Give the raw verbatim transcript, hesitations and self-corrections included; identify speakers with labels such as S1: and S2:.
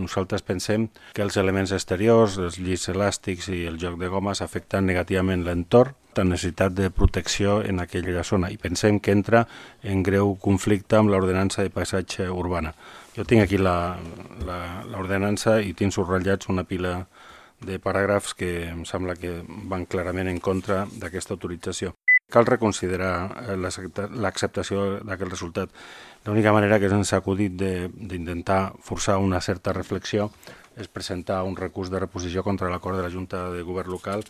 S1: nosaltres pensem que els elements exteriors, els llits elàstics i el joc de gomes afecten negativament l'entorn, la necessitat de protecció en aquella zona, i pensem que entra en greu conflicte amb l'ordenança de paisatge urbana. Jo tinc aquí l'ordenança i tinc subratllats una pila de paràgrafs que em sembla que van clarament en contra d'aquesta autorització. Cal reconsiderar l'acceptació d'aquest resultat. L'única manera que ens ha acudit d'intentar forçar una certa reflexió és presentar un recurs de reposició contra l'acord de la Junta de Govern local